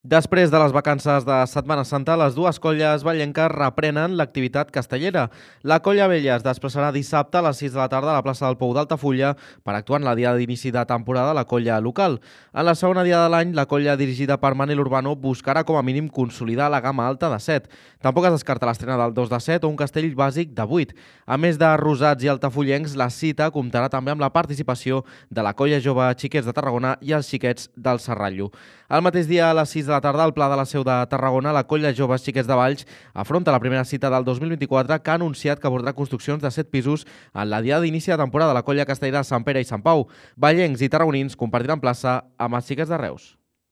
Després de les vacances de Setmana Santa, les dues colles vallenques reprenen l'activitat castellera. La colla vella es desplaçarà dissabte a les 6 de la tarda a la plaça del Pou d'Altafulla per actuar en la diada d'inici de temporada de la colla local. En la segona diada de l'any, la colla dirigida per Manel Urbano buscarà com a mínim consolidar la gamma alta de 7. Tampoc es descarta l'estrena del 2 de 7 o un castell bàsic de 8. A més de rosats i altafullencs, la cita comptarà també amb la participació de la colla jove Xiquets de Tarragona i els Xiquets del Serrallo. El mateix dia, a les 6 de la tarda, al Pla de la Seu de Tarragona, la colla Joves Xiquets de Valls afronta la primera cita del 2024 que ha anunciat que abordarà construccions de 7 pisos en la diada d'inici de temporada de la colla castellera de Sant Pere i Sant Pau. Vallencs i tarragonins compartiran plaça amb els Xiquets de Reus.